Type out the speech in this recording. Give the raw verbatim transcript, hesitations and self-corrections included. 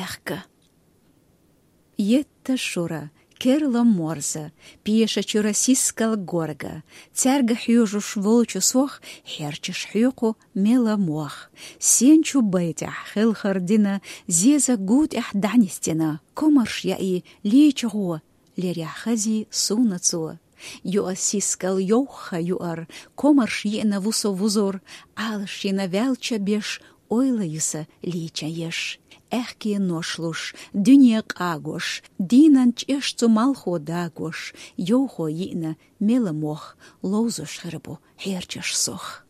аьхка. Етта шура, керла морза, пеша чура сискал горга, цаьрга хьоьжуш волчу сох, хьерчаш хьоькху мела мох. Сен чу байтехь хелхар дина, зеза гу тӀехь дӀанисдина, комарш яий лийча гӀо, лерехь хазий суна цо. Юа сискал йовха юар, комарш йиъна вусо вузор, Ӏалашйина ваьлча беш, ойла юса лийча еш. Аьхке нош луш, дуьне къагош, дийнан чӀеш цу малхо дагош, йовхо йиъна мела мох, ловзош хир бу хьерчаш сох.